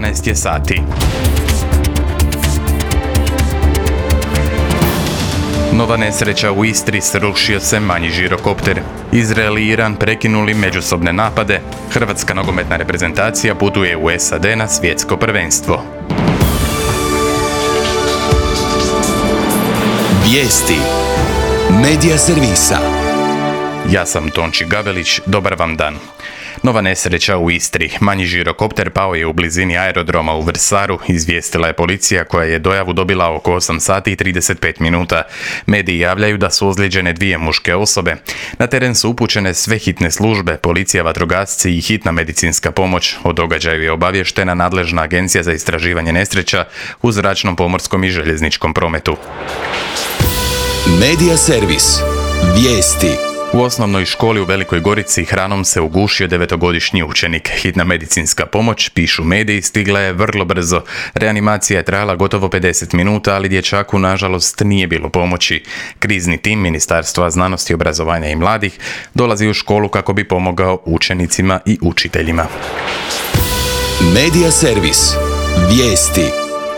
12 je sati. Nova nesreća u Istri, srušio se manji žirokopter. Izrael i Iran prekinuli međusobne napade. Hrvatska nogometna reprezentacija putuje u SAD na svjetsko prvenstvo. Vijesti Medija servisa. Ja sam Tonči Gavelić, dobar vam dan. Nova nesreća u Istri. Manji žirokopter pao je u blizini aerodroma u Vrsaru, izvijestila je policija koja je dojavu dobila oko 8 sati i 35 minuta. Mediji javljaju da su ozlijeđene 2 muške osobe. Na teren su upućene sve hitne službe, policija, vatrogasci i hitna medicinska pomoć. O događaju je obavještena nadležna agencija za istraživanje nesreća u zračnom, pomorskom i željezničkom prometu. Medija servis. Vijesti. U osnovnoj školi u Velikoj Gorici hranom se ugušio 9-godišnji učenik. Hitna medicinska pomoć, pišu mediji, stigla je vrlo brzo. Reanimacija je trajala gotovo 50 minuta, ali dječaku nažalost nije bilo pomoći. Krizni tim Ministarstva znanosti, obrazovanja i mladih dolazi u školu kako bi pomogao učenicima i učiteljima. Medija servis. Vijesti.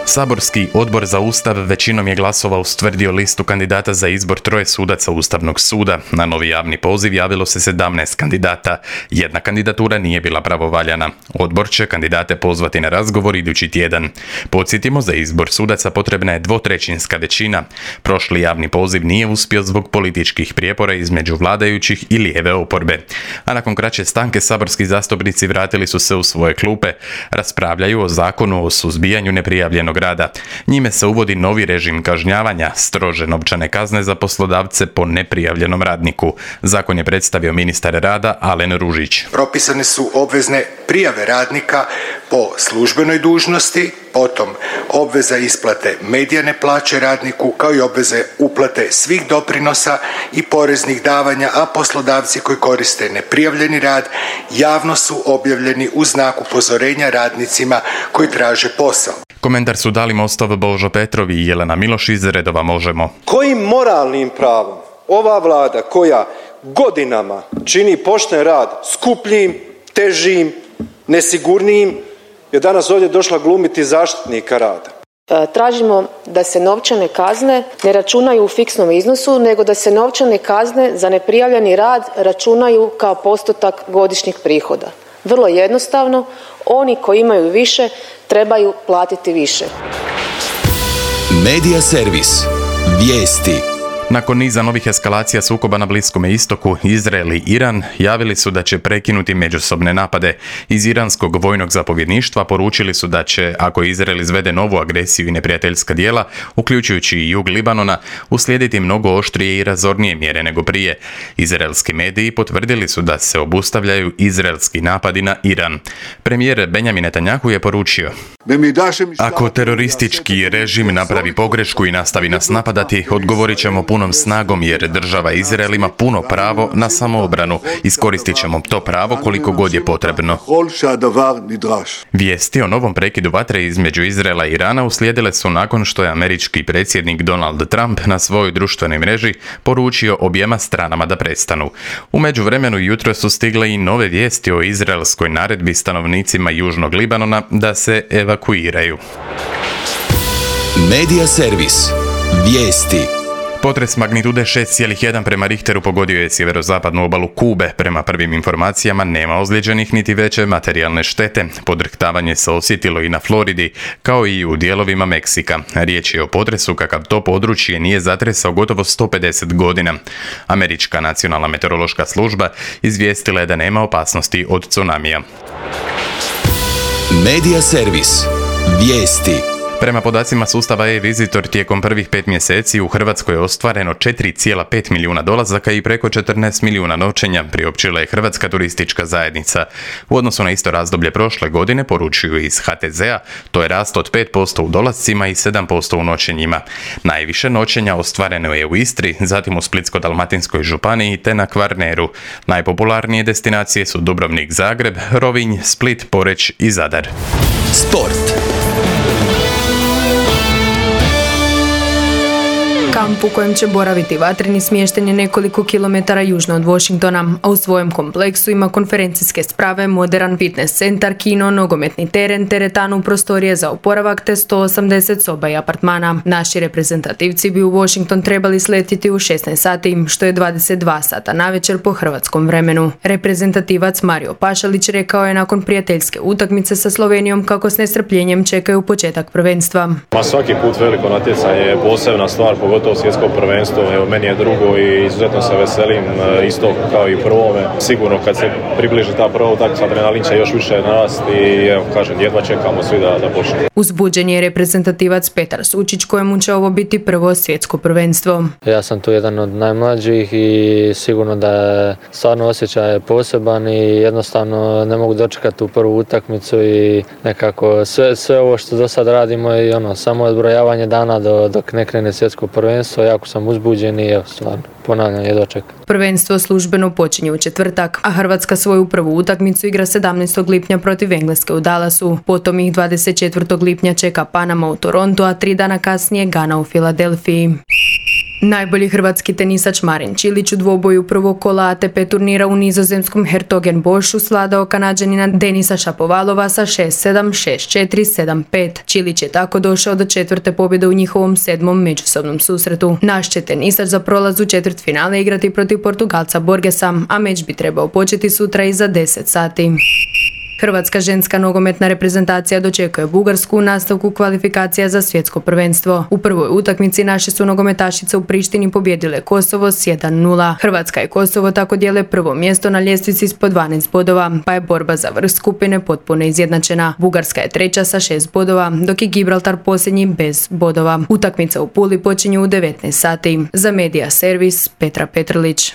Saborski odbor za Ustav većinom je glasova ustvrdio listu kandidata za izbor 3 sudaca Ustavnog suda. Na novi javni poziv javilo se 17 kandidata. Jedna kandidatura nije bila pravovaljana. Odbor će kandidate pozvati na razgovor idući tjedan. Podsjetimo, za izbor sudaca potrebna je 2/3 većina. Prošli javni poziv nije uspio zbog političkih prijepora između vladajućih i lijeve oporbe. A nakon kraće stanke saborski zastupnici vratili su se u svoje klupe. Raspravljaju o zakonu o suzbijanju neprijavljenog rada. Njime se uvodi novi režim kažnjavanja, strože novčane kazne za poslodavce po neprijavljenom radniku. Zakon je predstavio ministar rada Alen Ružić. Propisane su obvezne prijave radnika po službenoj dužnosti, potom obveza isplate medijane plaće radniku, kao i obveze uplate svih doprinosa i poreznih davanja, a poslodavci koji koriste neprijavljeni rad javno su objavljeni u znak upozorenja radnicima koji traže posao. Komentar su dali Mostov Božo Petrov i Jelena Miloš iz redova Možemo. Kojim moralnim pravom ova vlada koja godinama čini pošten rad skupljim, težim, nesigurnijim, je danas ovdje došla glumiti zaštitnika rada? Tražimo da se novčane kazne ne računaju u fiksnom iznosu, nego da se novčane kazne za neprijavljeni rad računaju kao postotak godišnjih prihoda. Vrlo jednostavno, oni koji imaju više trebaju platiti više. Medija servis. Vijesti. Nakon niza novih eskalacija sukoba na Bliskome istoku, Izrael i Iran javili su da će prekinuti međusobne napade. Iz iranskog vojnog zapovjedništva poručili su da će, ako Izrael izvede novu agresiju i neprijateljska djela, uključujući i jug Libanona, uslijediti mnogo oštrije i razornije mjere nego prije. Izraelski mediji potvrdili su da se obustavljaju izraelski napadi na Iran. Premijer Benjamin Netanjahu je poručio: ako teroristički režim napravi pogrešku i nastavi nas napadati, odgovorit ćemo punom snagom, jer država Izrael ima puno pravo na samoobranu. Iskoristit ćemo to pravo koliko god je potrebno. Vijesti o novom prekidu vatre između Izraela i Irana uslijedile su nakon što je američki predsjednik Donald Trump na svojoj društvenoj mreži poručio objema stranama da prestanu. U međuvremenu jutro su stigle i nove vijesti o izraelskoj naredbi stanovnicima južnog Libanona da se evakuiraju. Medija servis. Vijesti. Potres magnitude 6,1 prema Richteru pogodio je sjeverozapadnu obalu Kube. Prema prvim informacijama nema ozlijeđenih niti veće materijalne štete. Podrhtavanje se osjetilo i na Floridi, kao i u dijelovima Meksika. Riječ je o potresu kakav to područje nije zatresao gotovo 150 godina. Američka nacionalna meteorološka služba izvijestila je da nema opasnosti od tsunamija. Medija servis. Vijesti. Prema podacima sustava e-Visitor, tijekom prvih 5 mjeseci u Hrvatskoj je ostvareno 4,5 milijuna dolazaka i preko 14 milijuna noćenja, priopćila je Hrvatska turistička zajednica. U odnosu na isto razdoblje prošle godine, poručuju iz HTZ-a, to je rast od 5% u dolascima i 7% u noćenjima. Najviše noćenja ostvareno je u Istri, zatim u Splitsko-dalmatinskoj županiji te na Kvarneru. Najpopularnije destinacije su Dubrovnik, Zagreb, Rovinj, Split, Poreč i Zadar. Sport. Kao kamp u kojem će boraviti vatreni smješten je nekoliko kilometara južno od Washingtona, a u svojem kompleksu ima konferencijske sprave, moderan fitness centar, kino, nogometni teren, teretanu, prostorije za oporavak te 180 soba i apartmana. Naši reprezentativci bi u Washington trebali sletiti u 16 sati, što je 22 sata navečer po hrvatskom vremenu. Reprezentativac Mario Pašalić rekao je nakon prijateljske utakmice sa Slovenijom kako s nestrpljenjem čekaju početak prvenstva. Svaki put veliko natjecanje je posebna stvar, pogotovo svjetsko prvenstvo. Evo, meni je drugo i izuzetno se veselim, isto kao i prvome. Sigurno kad se približi ta prva utakmica, adrenalin će još više narasti i evo, kažem, jedva čekamo svi da počne. Uzbuđen je reprezentativac Petar Sučić kojemu će ovo biti prvo svjetsko prvenstvo. Ja sam tu jedan od najmlađih i sigurno da je stvarno osjećaj poseban i jednostavno ne mogu dočekati tu prvu utakmicu i nekako sve ovo što do sad radimo i samo odbrojavanje dana dok ne krene svjetsko prvenstvo. Jako sam uzbuđen i evo stvarno ponavljam jedva čekam. Prvenstvo službeno počinje u četvrtak, a Hrvatska svoju prvu utakmicu igra 17. lipnja protiv Engleske u Dallasu. Potom ih 24. lipnja čeka Panama u Torontu, a 3 dana kasnije Gana u Filadelfiji. Najbolji hrvatski tenisač Marin Čilić u dvoboju prvog kola ATP turnira u nizozemskom Hertogenbošu svladao Kanađanina Denisa Šapovalova sa 6-7, 6-4, 7-5. Čilić je tako došao do četvrte pobjede u njihovom 7. međusobnom susretu. Naš će tenisač za prolaz u četvrtfinale igrati protiv Portugalca Borgesa, a meč bi trebao početi sutra iza 10 sati. Hrvatska ženska nogometna reprezentacija dočekuje Bugarsku u nastavku kvalifikacija za svjetsko prvenstvo. U prvoj utakmici naše su nogometašice u Prištini pobjedile Kosovo s 1-0. Hrvatska i Kosovo tako dijele prvo mjesto na ljestvici s po 12 bodova, pa je borba za vrh skupine potpuno izjednačena. Bugarska je treća sa 6 bodova, dok je Gibraltar posljednji bez bodova. Utakmica u Puli počinje u 19 sati. Za Medija Servis Petra Petrlić.